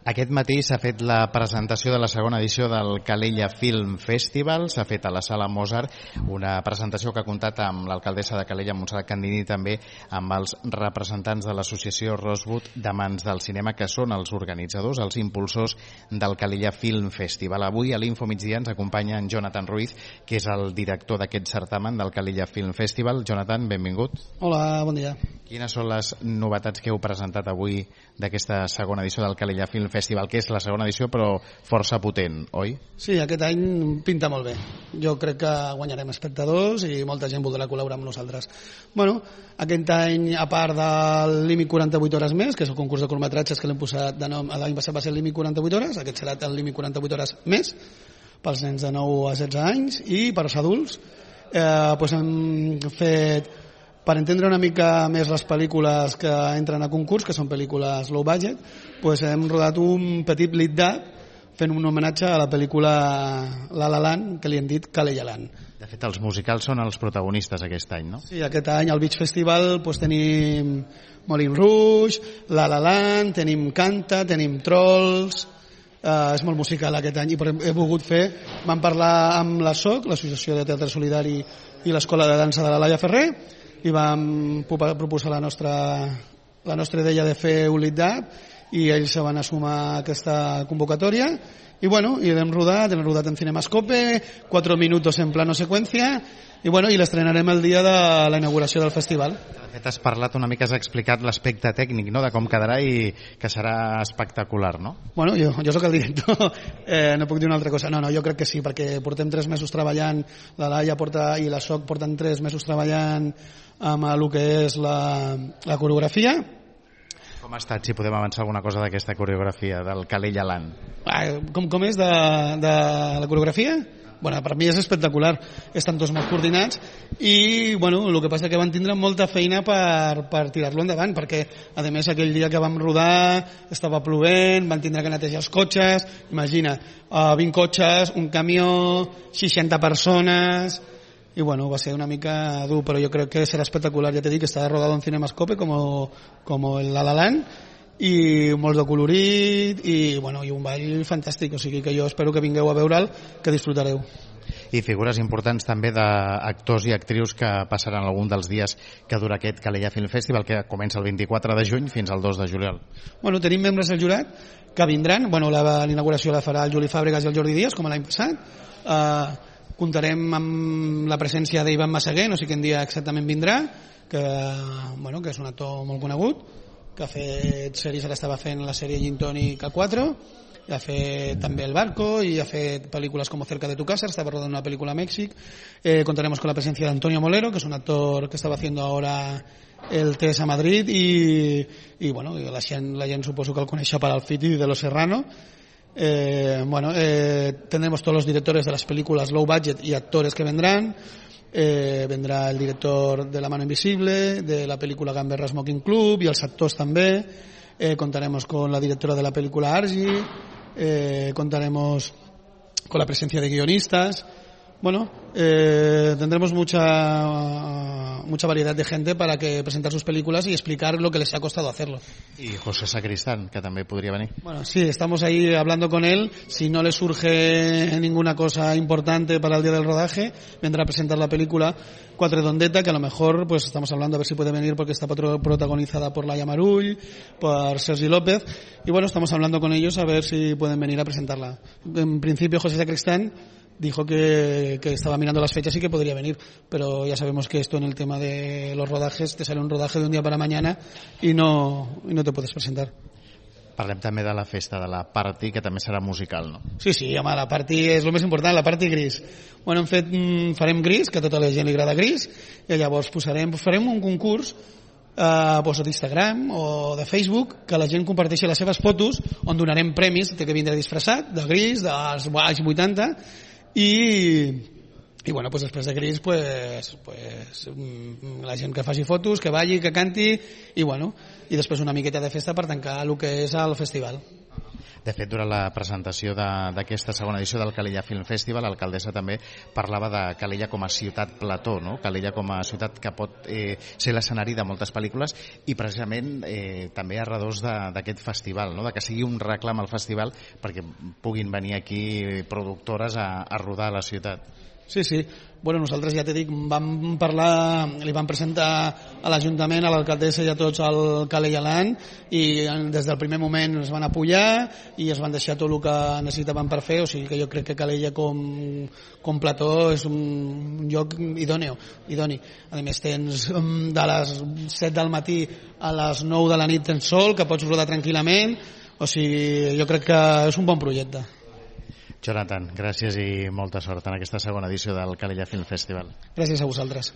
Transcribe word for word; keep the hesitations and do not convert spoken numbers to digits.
Aquest matí s'ha fet la presentació de la segona edició del Calella Film Festival, s'ha fet a la Sala Mozart, una presentació que ha comptat amb l'alcaldessa de Calella, Montserrat Candini, i també amb els representants de l'associació Rosewood d'Amants del Cinema, que són els organitzadors, els impulsors del Calella Film Festival. Avui a l'Info Migdia ens acompanya en Jonathan Ruiz, que és el director d'aquest certamen del Calella Film Festival. Jonathan, benvingut. Hola, bon dia. Quines són les novetats que heu presentat avui d'aquesta segona edició del Calella Film Festival, que és la segona edició però força potent, oi? Sí, aquest any pinta molt bé. Jo crec que guanyarem espectadors i molta gent voldrà col·laborar amb nosaltres. Bueno, aquest any, a part del límit quaranta-vuit hores més, que és el concurs de curtmetratges que l'hem posat de nom, l'any passat va ser el límit quaranta-vuit hores, aquest serà el límit quaranta-vuit hores més pels nens de nou a setze anys, i per als adults eh, doncs hem fet, per entendre una mica més les pel·lícules que entren a concurs, que són pel·lícules low budget, doncs hem rodat un petit lead-up fent un homenatge a la pel·lícula La La Land, que li hem dit Calella Land. De fet, els musicals són els protagonistes aquest any, no? Sí, aquest any al Beach Festival doncs, tenim Moulin Rouge, La La Land, tenim Canta, tenim Trolls. Uh, és molt musical aquest any i he volgut fer, vam parlar amb la S O C, l'Associació de Teatre Solidari, i l'Escola de Dansa de la Laia Ferrer, i vam proposar la nostra, la nostra idea de fer un lead-up i ells se van assumar a aquesta convocatòria i bueno, i l'hem rodat, l'hem rodat en Cinemascope, quatre minuts en plano seqüència i bueno, i l'estrenarem el dia de la inauguració del festival. De fet, has parlat una mica, has explicat l'aspecte tècnic, no?, de com quedarà i que serà espectacular, no? Bueno, jo, jo sóc el director, eh, no puc dir una altra cosa. No, no, jo crec que sí, perquè portem tres mesos treballant, la Laia porta, i la S O C porten tres mesos treballant amb el que és la, la coreografia. Com ha estat, si podem avançar alguna cosa d'aquesta coreografia del Calella Land? Ah, com, com és de, de la coreografia? Bueno, per mi és espectacular, estan tots molt coordinats i bueno, el que passa que van tindre molta feina per, per tirar-lo endavant, perquè a més aquell dia que vam rodar estava plovent, van tindre que netejar els cotxes, imagina, uh, vint cotxes, un camió, seixanta persones, i bueno, va ser una mica dur, però jo crec que serà espectacular. Ja t'he dit que està rodado en Cinemascope com, com el La La Land, i molt de colorit i, bueno, i un ball fantàstic, o sigui que jo espero que vingueu a veure'l, que disfrutareu. I figures importants també d'actors i actrius que passaran algun dels dies que dura aquest Calella Film Festival, que comença el vint-i-quatre de juny fins al dos de juliol. Bueno, tenim membres del jurat que vindran, bueno, l'inauguració la farà el Juli Fàbregas i el Jordi Díaz, com l'any passat. Uh, comptarem amb la presència d'Ivan Massaguer, no sé quin dia exactament vindrà, que, bueno, que és un actor molt conegut, que ha fet sèries, ara estava fent la sèrie Gin Tonic a quatre, ha fet també El Barco i ha fet pel·lícules com Cerca de tu casa, estava rodando una pel·lícula a Mèxic. Eh, contaremos con la presencia de Antonio Molero, que es un actor que estava haciendo ahora el T S a Madrid, i, i bueno, la gent, la gent suposo que el coneix per Alfit i de Los Serrano. Eh, bueno, eh, tendremos todos los directores de las películas low budget y actores que vendrán. Eh, vendrà el director de La mano invisible, de la película Gamberra Smoking Club, y els actors també. Eh, contaremos con la directora de la película Argy, eh, contaremos con la presencia de guionistas. Bueno, eh, tendremos mucha mucha variedad de gente para que presentar sus películas y explicar lo que les ha costado hacerlo. Y José Sacristán, que también podría venir. Bueno, sí, estamos ahí hablando con él. Si no le surge ninguna cosa importante para el día del rodaje, vendrá a presentar la película Quatredondeta, que a lo mejor pues estamos hablando a ver si puede venir porque está protagonizada por Laia Marull, por Sergi López, y bueno, estamos hablando con ellos a ver si pueden venir a presentarla. En principio José Sacristán dijo que, que estaba mirando las fechas y que podría venir, pero ya sabemos que esto en el tema de los rodajes te sale un rodaje de un día para mañana y no, y no te puedes presentar. Parlem també de la festa de la Party, que també serà musical, no? Sí, sí, home, la Party és el més important, la Party Gris. Bueno, hem fet, farem Gris, que a tota la gent li agrada Gris, i llavors posarem, farem un concurs eh, doncs d'Instagram o de Facebook, que la gent comparteixi les seves fotos, on donarem premis, té que vindre disfressat, de Gris, dels anys vuitanta, i, i bueno, pues després de Gris pues, pues, la gent que faci fotos, que balli, que canti, i bueno, i després una miqueta de festa per tancar el que és el festival. De fet, durant la presentació d'aquesta segona edició del Calella Film Festival, l'alcaldessa també parlava de Calella com a ciutat plató, no? Calella com a ciutat que pot eh, ser l'escenari de moltes pel·lícules i precisament eh, també a redós d'aquest festival, no? De que sigui un reclam al festival perquè puguin venir aquí productores a, a rodar a la ciutat. Sí, sí. Bueno, nosaltres, ja t'he dit, vam parlar, li vam presentar a l'Ajuntament, a l'alcaldessa i a tots el Calella Land, i des del primer moment es van apoyar i es van deixar tot el que necessitaven per fer, o sigui que jo crec que Calella com, com plató és un lloc idòneo, idoni. A més, tens de les set del matí a les nou de la nit tens sol, que pots rodar tranquil·lament, o sigui, jo crec que és un bon projecte. Jonathan, gràcies i molta sort en aquesta segona edició del Calella Film Festival. Gràcies a vosaltres.